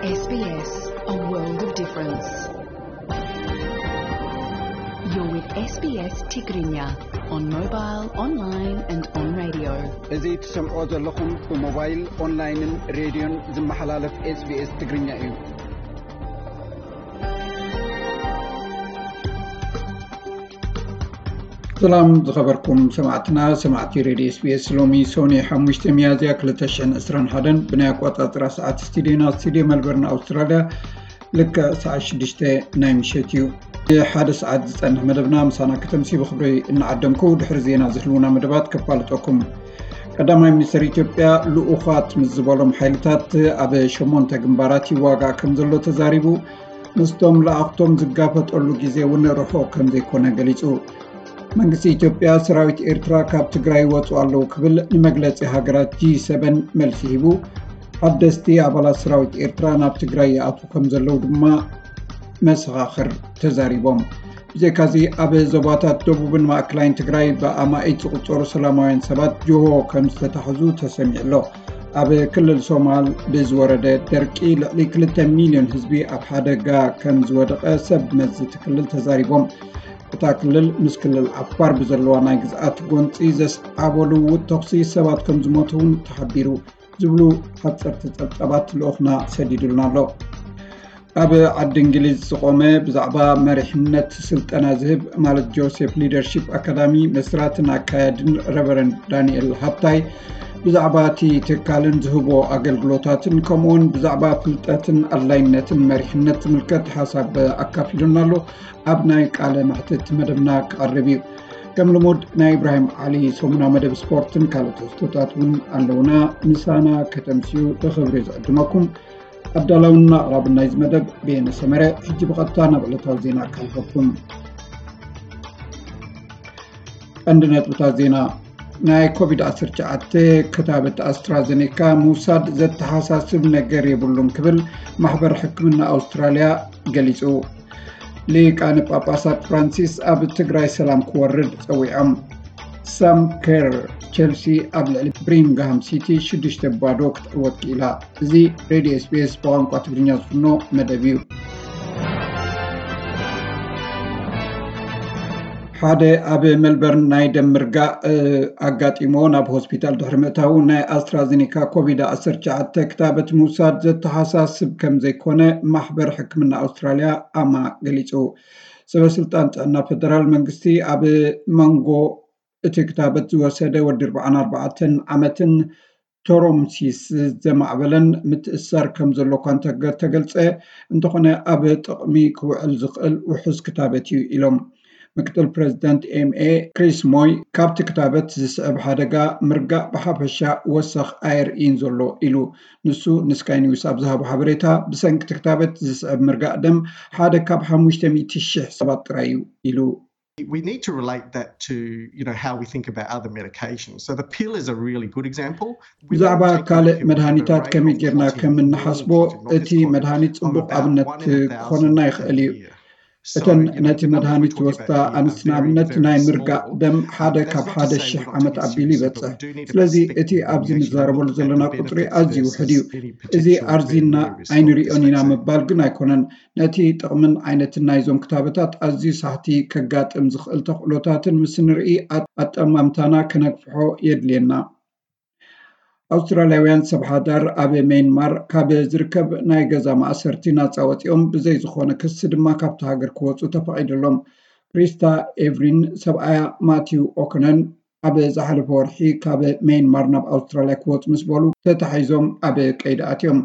S B S, a world of difference. You're with S B S Tigrinya on mobile, online and on radio. እዚ ትሰምዖ ዘለኹም ብሞባይል፣ ኦንላይንን ሬድዮን ዝመሓላለፍ S B S ትግርኛ እዩ። ሰላም ዝኸበርኩም ሰማዕትና፣ ሰማዕቲ ሬድዮ S B S። ሎሚ ሶኒ ሓሙሽተ ሚያዝያ ክልተ ሽሕን ዕስራን ሓደን ብናይ ኣቆጻጽራ ሰዓት ስቱዲዮና፣ ስቱዲዮ መልበርን ኣውስትራልያ፣ ልክዕ ሰዓት ሽዱሽተ ናይ ምሸት እዩ። ሓደ ሰዓት ዝጸንሕ መደብና ምሳና ከተምሲ ብኽብሪ እናዓደምኩ፣ ድሕሪ ዜና ዝህልውና መደባት ከፋልጠኩም። ቀዳማይ ሚኒስትር ኢትዮጵያ ልኡኻት ምስ ዝበሎም ሓይልታት ኣብ ሸሞንተ ግንባራት ይዋጋእ ከም ዘሎ ተዛሪቡ። ምስቶም ለኣኽቶም ዝጋፈጠሉ ግዜ እውን ርሑቕ ከም ዘይኮነ ገሊጹ። መንግስቲ ኢትዮጵያ ሰራዊት ኤርትራ ካብ ትግራይ ይወጹ ኣለዉ ክብል ንመግለጺ ሃገራት ጂ ሰበን መልሲ ሂቡ። ሓደስቲ ኣባላት ሰራዊት ኤርትራ ናብ ትግራይ ይኣትዉ ከም ዘለዉ ድማ መሰኻኽር ተዛሪቦም። ብዘይካዚ ኣብ ዞባታት ደቡብን ማእከላይን ትግራይ ብኣማኢት ዝቑጸሩ ሰላማውያን ሰባት ጅሆ ከም ዝተታሕዙ ተሰሚዑ ኣሎ። ኣብ ክልል ሶማል ብዝወረደ ደርቂ ልዕሊ ክልተ ሚልዮን ህዝቢ ኣብ ሓደጋ ከም ዝወደቐ ሰብ መዚ እቲ ክልል ተዛሪቦም። እታ ክልል ምስ ክልል ዓፋር ብዘለዋ ናይ ግዝኣት ጎንፂ ዘስዓቦ ልውውጥ ተኹሲ ሰባት ከም ዝሞቱ እውን ተሓቢሩ። ዝብሉ ሓፀርቲ ፀብፀባት ልኡኽና ሰዲዱልና ኣሎ። ኣብ ዓዲ እንግሊዝ ዝቆመ ብዛዕባ መሪሕነት ስልጠና ዝህብ ማለት ጆሴፍ ሊደርሺፕ ኣካዳሚ መስራትን ኣካያድን ረቨረንድ ዳንኤል ሃብታይ ብዛዕባ እቲ ትካልን ዝህቦ ኣገልግሎታትን ከምኡውን ብዛዕባ ፍልጠትን ኣድላይነትን መሪሕነት ዝምልከት ሓሳብ ኣካፊሉና ኣሎ። ኣብ ናይ ቃለ መሕትት መደብና ክቐርብ እዩ። ከም ልሙድ ናይ ኢብራሂም ዓሊ ሰሙና መደብ ስፖርትን ካልኦት ትሕዝቶታት እውን ኣለውና። ምሳና ከተምስዩ ብኽብሪ ዝዕድመኩም። ኣዳላውና ኣቕራቢ ናይዚ መደብ ብየነ ሰመረ። ሕጂ ብቐጥታ ናብ ዕለታዊ ዜና ካልፈኩም። ቀንዲ ነጥብታት ዜና። ናይ ኮቪድ ዓሰርተ ትሽዓተ ክታበት ኣስትራዘኔካ ምውሳድ ዘተሓሳስብ ነገር የብሉን ክብል ማሕበር ሕክምና ኣውስትራልያ ገሊጹ። ሊቃነ ጳጳሳት ፍራንሲስ ኣብ ትግራይ ሰላም ክወርድ ጸዊዖም። ሳም ኬር፣ ቸልሲ ኣብ ልዕሊ ብሪንግሃም ሲቲ ሽዱሽተ ባዶ ክትዕወት ክኢላ። እዚ ሬድዮ S B S ብቋንቋ ትግርኛ ዝፍኖ መደብ እዩ። ሓደ ኣብ ሜልበርን ናይ ደም ምርጋእ ኣጋጢሞ ናብ ሆስፒታል ድሕሪ ምእታዉ ናይ ኣስትራዘኔካ ኮቪድ ዓሰርተ ትሽዓተ ክታበት ምውሳድ ዘተሓሳስብ ከም ዘይኮነ ማሕበር ሕክምና ኣውስትራልያ ኣማ ገሊጹ። ሰበ ስልጣን ጥዕና ፈደራል መንግስቲ ኣብ መንጎ እቲ ክታበት ዝወሰደ ወዲ ኣርባዓን ኣርባዕተን ዓመትን ቶሮምሲስ ዘማዕበለን ምትእሳር ከም ዘሎ እኳ እንተገ-፣ ተገልጸ፣ እንተኾነ ኣብ ጥቕሚ ክውዕል ዝኽእል ውሑስ ክታበት እዩ ኢሎም። ምክትል ፕሬዚደንት M A ክሪስ ሞይ ካብቲ ክታበት ዝስዕብ ሓደጋ ምርጋእ ብሓፈሻ ወሰኽ ኣየርእይን ዘሎ ኢሉ። ንሱ ንስካይ ኒውስ ኣብ ዝሃቦ ሓበሬታ ብሰንኪ እቲ ክታበት ዝስዕብ ምርጋእ ደም ሓደ ካብ ሓሙሽተ ሚእቲ ሽሕ ሰባት ጥራይ እዩ ኢሉ። We need to relate that to, you know, how we think about other medications. So the pill is a really good example. We ብዛዕባ don't take ካልእ the pill for the መድሃኒታት rate ከመይ of ጌርና clotting ከም እንሓስቦ፣ እቲ መድሃኒት ጽቡቕ ኣብነት ክኾነና ይኽእል እዩ። እተን ነቲ መድሃኒት ዝወስዳ ኣንስቲ ንኣብነት ናይ ምርጋእ ደም ሓደ ካብ ሓደ ሽሕ ዓመት ኣቢሉ ይበጽሕ። ስለዚ እቲ ኣብዚ ንዛረበሉ ዘለና ቁጽሪ ኣዝዩ ውሑድ እዩ። እዚ ኣርዚና ኣይንሪኦን ኢና ምባል ግን ኣይኮነን። ነቲ ጥቕምን ዓይነትን ናይዞም ክታበታት ኣዝዩ ሳሕቲ ከጋጥም ዝኽእል ተኽእሎታትን ምስ ንርኢ ኣጠማምታና ከነግፍሖ የድልየና። ኣውስትራልያውያን ሰብ ሓዳር ኣብ ሜይንማር ካብ ዝርከብ ናይ ገዛ ማእሰርቲ ናጻ ወጺኦም ብዘይ ዝኾነ ክሲ ድማ ካብቲ ሃገር ክወጹ ተፈቒዱሎም። ክሪስታ ኤቭሪን ሰብኣያ ማቲው ኦኮነን ኣብ ዝሓለፈ ወርሒ ካብ ሜይንማር ናብ ኣውስትራልያ ክወጹ ምስ በሉ ተታሒዞም ኣብ ቀይዲ ኣትዮም።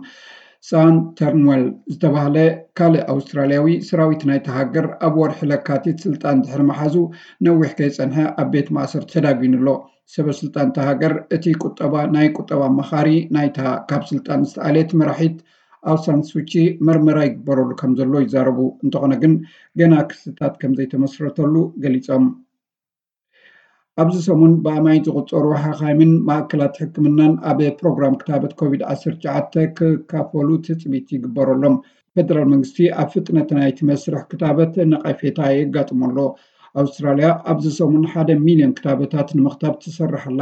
ሳን ተርንወል ዝተባህለ ካልእ ኣውስትራልያዊ ሰራዊት ናይቲ ሃገር ኣብ ወርሒ ለካቲት ስልጣን ድሕሪ ምሓዙ ነዊሕ ከይጸንሐ ኣብ ቤት ማእሰርቲ ተዳጒኑ ኣሎ። ሰበ ስልጣን እታ ሃገር እቲ ቁጠባ ናይ ቁጠባ ኣማኻሪ ናይታ ካብ ስልጣን ዝተኣልየት መራሒት ኣውሳን ሱቺ መርመራ ይግበረሉ ከም ዘሎ ይዛረቡ። እንተኾነ ግን ገና ክስታት ከም ዘይተመስረተሉ ገሊጾም። ኣብዚ ሰሙን ብኣማኢት ዝቑጸሩ ሓኻይምን ማእከላት ሕክምናን ኣብ ፕሮግራም ክታበት ኮቪድ ዓሰርተ ትሽዓተ ክካፈሉ ትጽቢት ይግበረሎም። ፈደራል መንግስቲ ኣብ ፍጥነት ናይቲ መስርሕ ክታበት ነቐፌታ የጋጥሞ ኣሎ። ኣውስትራልያ ኣብዚ ሰሙን ሓደ ሚልዮን ክታበታት ንምኽታብ ትሰርሕ ኣላ።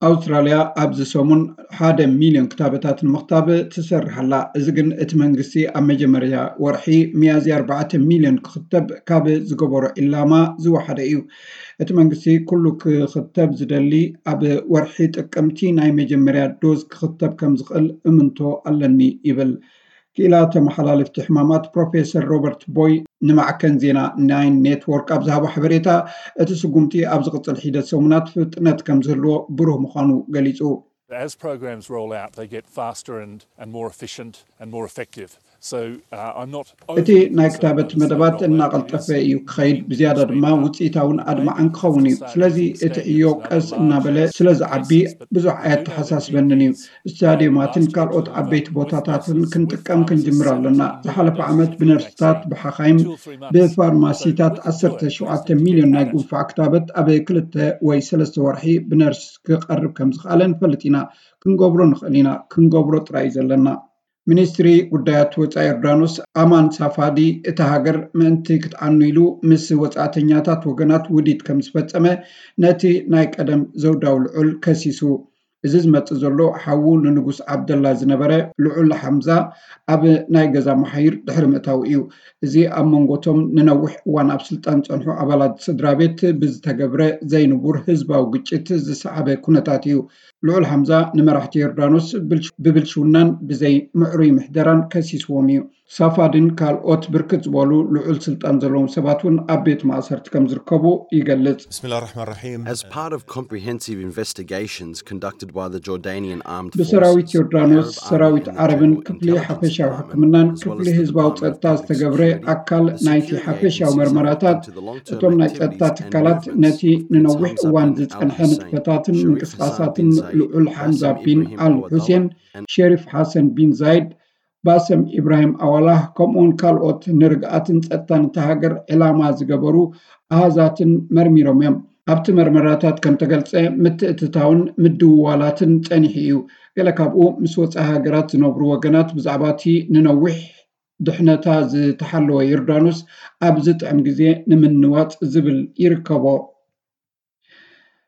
ኣውስትራልያ ኣብዚ ሰሙን ሓደ ሚልዮን ክታበታት ንምኽታብ ትሰርሕ ኣላ። እዚ ግን እቲ መንግስቲ ኣብ መጀመርያ ወርሒ ሚያዝያ ኣርባዕተ ሚልዮን ክኽተብ ካብ ዝገበሮ ዕላማ ዝወሓደ እዩ። እቲ መንግስቲ ኩሉ ክኽተብ ዝደሊ ኣብ ወርሒ ጥቅምቲ ናይ መጀመርያ ዶዝ ክኽተብ ከም ዝኽእል እምንቶ ኣለኒ ይብል። ክኢላ ተመሓላለፍቲ ሕማማት ፕሮፌሰር ሮበርት ቦይ ንማዕከን ዜና ናይን ኔትወርክ ኣብ ዝሃቦ ሓበሬታ፣ እቲ ስጉምቲ ኣብ ዝቕጽል ሒደት ሰሙናት ፍጥነት ከም ዝህልዎ ብሩህ ምዃኑ ገሊጹ። As programs roll out, they get faster and, and more efficient and more effective. So uh, I'm not እቲ ናይ ክታበት መደባት እናቐልጠፈ እዩ ክኸይድ፣ ብዝያዳ ድማ ውፅኢታውን ኣድማዕን ክኸውን እዩ። ስለዚ እቲ ዕዮ ቀስ እናበለ ስለ ዝዓቢ ብዙሕ ኣየተሓሳስበንን እዩ። ስታዲዮማትን ካልኦት ዓበይቲ ቦታታትን ክንጥቀም ክንጅምር ኣለና። ዝሓለፈ ዓመት ብነርስታት፣ ብሓኻይም፣ ብፋርማሲታት ዓሰርተ ሸውዓተ ሚልዮን ናይ ጉንፋዕ ክታበት ኣብ ክልተ ወይ ሰለስተ ወርሒ ብነርስ ክቐርብ ከም ዝኽኣለ ንፈልጥ ኢና። ክንገብሮ ንኽእል ኢና። ክንገብሮ ጥራይ እዩ ዘለና። ሚኒስትሪ ጉዳያት ወፃኢ ዮርዳኖስ ኣማን ሳፋዲ፣ እታ ሃገር ምእንቲ ክትዓኑ ኢሉ ምስ ወፃእተኛታት ወገናት ውዲት ከም ዝፈፀመ ነቲ ናይ ቀደም ዘውዳዊ ልዑል ከሲሱ። እዚ ዝመፅእ ዘሎ ሓዉ ንንጉስ ዓብደላ ዝነበረ ልዑል ሓምዛ ኣብ ናይ ገዛ መሓይር ድሕሪ ምእታው እዩ። እዚ ኣብ መንጎቶም ንነዊሕ እዋን ኣብ ስልጣን ዝፀንሑ ኣባላት ስድራ ቤት ብዝተገብረ ዘይንቡር ህዝባዊ ግጭት ዝሰዓበ ኩነታት እዩ። ልዑል ሓምዛ ንመራሕቲ ዮርዳኖስ ብብልሽውናን ብዘይ ምዕሩይ ምሕደራን ከሲስዎም እዩ። ሳፋድን ካልኦት ብርክት ዝበሉ ልዑል ስልጣን ዘለዎም ሰባት እውን ኣብ ቤት ማእሰርቲ ከም ዝርከቡ ይገልጽ። بسم الله الرحمن الرحيم. As part of comprehensive investigations conducted by the Jordanian armed ብሰራዊት forces, ዮርዳኖስ፣ Arab ሰራዊት Army and the ዓረብን General ክፍሊ Intelligence ሓፈሻዊ Department, ሕክምናን as well ክፍሊ as the ህዝባዊ Department of ጸጥታ Public ዝተገብረ Security, ኣካል the ናይቲ security ሓፈሻዊ agency መርመራታት፣ looked into the long-term እቶም ናይ ጸጥታ activities and ትካላት movements ነቲ of ንነዊሕ Mohammed እዋን bin ዝጸንሐ Abdul ንጥፈታትን Sa'id, Sharif ምንቅስቓሳትን Hassan bin Zayed, ልዑል ሓምዛ Bassem ቢን Ibrahim ኣል Awallah, ሑሴን፣ and ሸሪፍ ሓሰን ቢን ዛይድ፣ ባሰም ኢብራሂም ኣዋላህ፣ ከምኡውን ካልኦት ንርግኣትን ጸጥታን እታ ሃገር ዕላማ ዝገበሩ ኣሃዛትን መርሚሮም እዮም። ኣብቲ መርመራታት ከም ተገልጸ፣ ምትእትታውን ምድውዋላትን ጸኒሑ እዩ። ገለ ካብኡ ምስ ወጻኢ ሃገራት ዝነብሩ ወገናት ብዛዕባ እቲ ንነዊሕ ድሕነታ ዝተሓለወ ዮርዳኖስ ኣብ ዝጥዕም ግዜ ንምንዋጽ ዝብል ይርከቦ።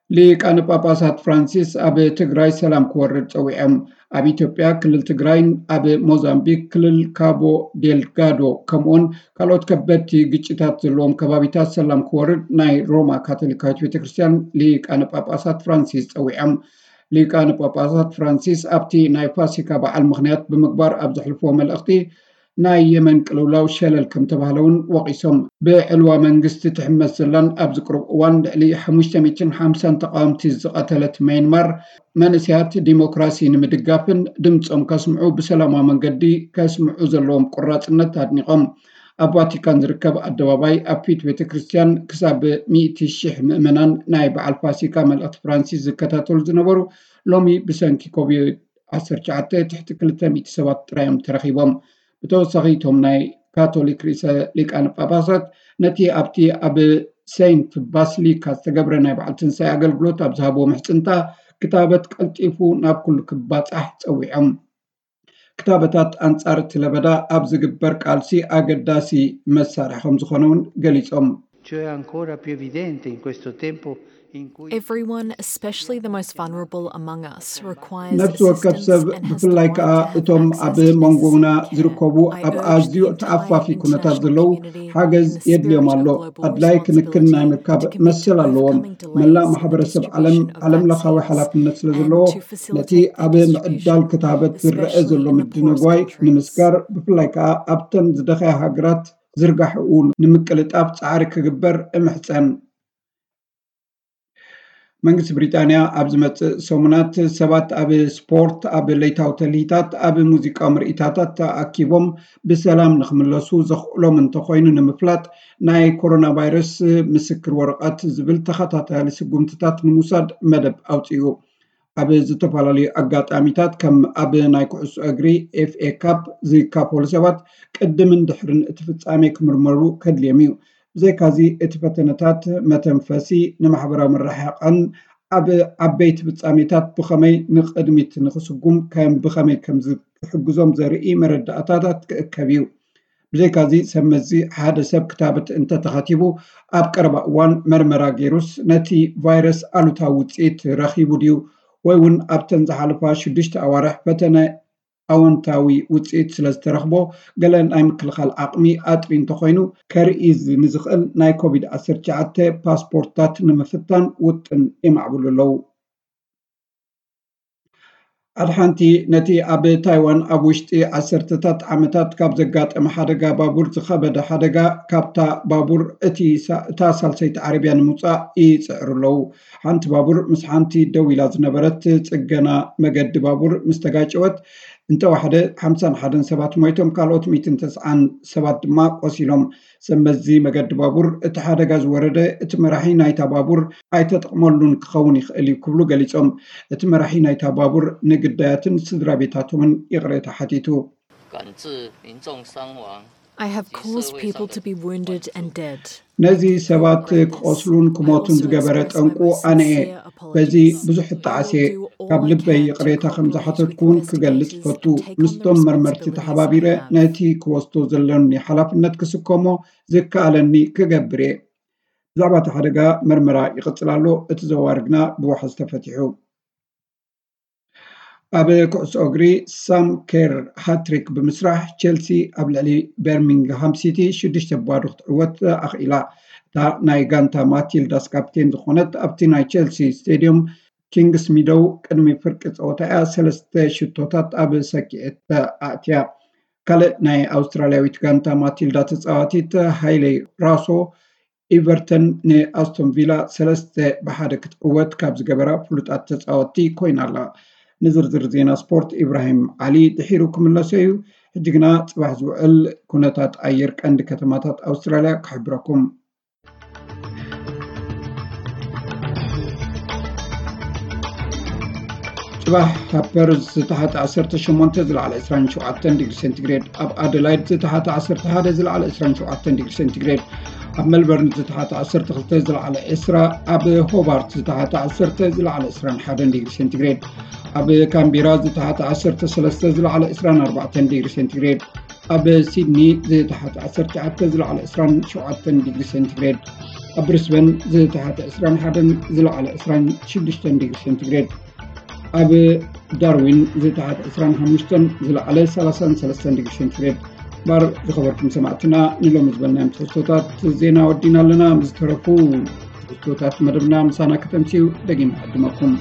ሊቃነ ጳጳሳት ፍራንሲስ ኣብ ትግራይ ሰላም ክወርድ ጸዊዖም። ኣብ ኢትዮጵያ ክልል ትግራይን ኣብ ሞዛምቢክ ክልል ካቦ ዴልጋዶ ከምኡውን ካልኦት ከበድቲ ግጭታት ዘለዎም ከባቢታት ሰላም ክወርድ ናይ ሮማ ካቶሊካዊት ቤተክርስትያን ሊቃነ ጳጳሳት ፍራንሲስ ጸዊዖም። ሊቃነ ጳጳሳት ፍራንሲስ ኣብቲ ናይ ፋሲካ በዓል ምኽንያት ብምግባር ኣብ ዘሕልፍዎ መልእኽቲ፣ ናይ የመን ቅልውላው ሸለል ከም ተባህለ እውን ወቒሶም። ብዕልዋ መንግስቲ ትሕመስ ዘላን ኣብዚ ቅሩብ እዋን ልዕሊ ሓሙሽተ ሚእትን ሓምሳን ተቓወምቲ ዝቐተለት ማይንማር፣ መንእሰያት ዲሞክራሲ ንምድጋፍን ድምፆም ከስምዑ ብሰላማዊ መንገዲ ከስምዑ ዘለዎም ቁራፅነት ኣድኒቖም። ኣብ ቫቲካን ዝርከብ ኣደባባይ ኣብ ፊት ቤተ ክርስቲያን ክሳብ ሚእቲ ሽሕ ምእመናን ናይ በዓል ፋሲካ መልእኽቲ ፍራንሲስ ዝከታተሉ ዝነበሩ ሎሚ ብሰንኪ ኮቪድ ዓሰርተ ትሽዓተ ትሕቲ ክልተ ሚእቲ ሰባት ጥራይ እዮም ተረኺቦም። ብተወሳኺ እቶም ናይ ካቶሊክ ርእሰ ሊቃነ ጳጳሳት ነቲ ኣብቲ ኣብ ሴንት ባስሊካ ዝተገብረ ናይ በዓል ትንሳኤ ኣገልግሎት ኣብ ዝሃብዎ ምሕጽንታ ክታበት ቀልጢፉ ናብ ኩሉ ክባጻሕ ጸዊዖም። ክታበታት ኣንጻር እቲ ለበዳ ኣብ ዝግበር ቃልሲ ኣገዳሲ መሳርሒ ከም ዝኾነ እውን ገሊጾም። Ciò è ancora più evidente in questo tempo in cui Everyone, especially the most vulnerable among us, requires ነፍሲ ወከፍ ሰብ ብፍላይ ከዓ እቶም ኣብ መንጎና ዝርከቡ ኣብ ኣዝዩ ተኣፋፊ ኩነታት ዘለዉ ሓገዝ የድልዮም ኣሎ። ኣድላይ ክንክን ናይ ምርካብ መሰል ኣለዎም። መላእ ማሕበረሰብ ዓለም ዓለም ለኻዊ ሓላፍነት ስለ ዘለዎ ነቲ ኣብ ምዕዳል ክታበት ዝረአ ዘሎ ምድንጓይ ንምስጋር ብፍላይ ከዓ ኣብተን ዝደኸያ ሃገራት ዝርጋሕኡ ንምቅልጣፍ ፃዕሪ ክግበር እምሕፀን። መንግስቲ ብሪጣንያ ኣብ ዝመፅእ ሰሙናት ሰባት ኣብ ስፖርት፣ ኣብ ለይታዊ ተልሂታት፣ ኣብ ሙዚቃዊ ምርኢታታት ተኣኪቦም ብሰላም ንክምለሱ ዘኽእሎም እንተኾይኑ ንምፍላጥ ናይ ኮሮና ቫይረስ ምስክር ወረቐት ዝብል ተኸታታሊ ስጉምትታት ንምውሳድ መደብ ኣውፂኡ። ኣብ ዝተፈላለዩ ኣጋጣሚታት ከም ኣብ ናይ ኩዕሶ እግሪ ኤፍኤ ካፕ ዝካፈሉ ሰባት ቅድምን ድሕርን እቲ ፍጻሜ ክምርመሩ ከድልዮም እዩ። ብዘይካዚ እቲ ፈተነታት መተንፈሲ ንማሕበራዊ ምርሕቓን ኣብ ዓበይቲ ፍጻሜታት ብኸመይ ንቕድሚት ንኽስጉም ከም ብኸመይ ከም ዝሕግዞም ዘርኢ መረዳእታታት ክእከብ እዩ። ብዘይካዚ ሰብ መዚ ሓደ ሰብ ክታበት እንተተኸቲቡ ኣብ ቀረባ እዋን መርመራ ገይሩስ ነቲ ቫይረስ ኣሉታዊ ውፅኢት ረኺቡ ድዩ ወይ እውን ኣብተን ዝሓለፋ ሽዱሽተ ኣዋርሕ ፈተነ ኣወንታዊ ውፅኢት ስለ ዝተረኽቦ፣ ገለ ናይ ምክልኻል ዓቕሚ ኣጥሪ እንተኾይኑ፣ ከርኢ ንዝኽእል ናይ ኮቪድ ዓሰርተ ትሽዓተ ፓስፖርትታት ንምፍታን ውጥን የማዕብሉ ኣለዉ። ኣድሓንቲ ነቲ ኣብ ታይዋን ኣብ ውሽጢ ዓሰርተታት ዓመታት ካብ ዘጋጠመ ሓደጋ ባቡር ዝኸበደ ሓደጋ፣ ካብታ ባቡር እቲ ሳ- እታ ሳልሰይቲ ዓረብያ ንምውፃእ ይፅዕሩ ኣለዉ። ሓንቲ ባቡር ምስ ሓንቲ ደው ኢላ ዝነበረት ጽገና መገዲ ባቡር ምስ ተጋጨወት፣ እንተዋሕደ ሓምሳን ሓደን ሰባት ሞይቶም፣ ካልኦት ሚእትን ተስዓን ሰባት ድማ ቆሲሎም። ሰብ መዚ መገዲ ባቡር፣ እቲ ሓደጋ ዝወረደ እቲ መራሒ ናይታ ባቡር ኣይተጠቕመሉን ክኸውን ይኽእል እዩ ክብሉ ገሊጾም። እቲ መራሒ ናይታ ባቡር ንግዳያትን ስድራ ቤታቶምን ይቕሬታ ሓቲቱ። 感致民众伤亡。 I have caused people to be wounded and dead. ነዚ ሰባት ክቆስሉን ክሞቱን ዝገበረ ጠንቁ ኣነ እየ። በዚ ብዙሕ እጣዓስ እየ። ካብ ልበይ ይቕሬታ ከም ዝሓተትኩ እውን ክገልጽ እፈቱ። ምስቶም መርመርቲ ተሓባቢረ ነቲ ክወስዶ ዘለኒ ሓላፍነት ክስከሞ ዝከኣለኒ ክገብር እየ። ብዛዕባ እቲ ሓደጋ መርመራ ይቕጽል ኣሎ። እቲ ዘዋሪ ግና ብዋሕዚ ተፈቲሑ። ኣብ ኩዕሶ እግሪ ሳም ኬር ሃትሪክ ብምስራሕ ቸልሲ ኣብ ልዕሊ በርሚንግሃም ሲቲ ሽዱሽተ ባዶ ክትዕወት ኣኽኢላ። እታ ናይ ጋንታ ማቲልዳስ ካፕቴን ዝኾነት ኣብቲ ናይ ቸልሲ ስቴድዮም ኪንግስ ሚደው ቅድሚ ፍርቂ ፀወታ እያ ሰለስተ ሽቶታት ኣብ ሰኪዔት ኣእትያ። ካልእ ናይ ኣውስትራልያዊት ጋንታ ማቲልዳ ተፃዋቲት ሃይሌ ራሶ ኢቨርተን ንኣስቶን ቪላ ሰለስተ ብሓደ ክትዕወት ካብ ዝገበራ ፍሉጣት ተፃወትቲ ኮይና ኣላ። ንዝርዝር ዜና ስፖርት ኢብራሂም ዓሊ ድሒሩ ክምለሶ እዩ። ሕጂ ግና ፅባሕ ዝውዕል ኩነታት ኣየር ቀንዲ ከተማታት ኣውስትራልያ ክሕብረኩም። ጽባሕ ኣብ ፐርዝ ዝተሓተ ዓሰርተ ሸሞንተ ዝለዓለ ዕስራን ሸውዓተን ዲግሪ ሴንቲግሬድ፣ ኣብ ኣደላይድ ዝተሓተ ዓሰርተ ሓደ ዝለዓለ ዕስራን ሸውዓተን ዲግሪ ሴንቲግሬድ፣ ኣብ ሜልበርን ዝተሓተ ዓሰርተ ክልተ ዝለዓለ ዕስራ፣ ኣብ ሆባርት ዝተሓተ ዓሰርተ ዝለዓለ ዕስራን ሓደን ዲግሪ ሴንቲግሬድ፣ ኣብ ካምቢራ ዝተሓተ ዓሰርተ ሰለስተ ዝለዓለ ዕስራን ኣርባዕተን ዲግሪ ሴንቲግሬድ፣ ኣብ ሲድኒ ዝተሓተ ዓሰርተ ትሽዓተ ዝለዓለ ዕስራን ሸውዓተን ዲግሪ ሴንቲግሬድ፣ ኣብ ብሪስበን ዝተሓተ ዕስራን ሓደን ዝለዓለ ዕስራን ሽዱሽተን ዲግሪ ሴንቲግሬድ፣ ኣብ ዳርዊን ዝተሓተ ዕስራን ሓሙሽተን ዝለዓለ ሰላሳን ሰለስተን ዲግሪ ሴንቲግሬድ። ባር ዝኸበርኩም ሰማዕትና፣ ንሎሚ ዝበልናዮም ትሕዝቶታት ዜና ወዲና ኣለና። ምስ ተረፉ ትሕዝቶታት መደብና ምሳና ከተምስዩ ደጊም ዕድመኩም።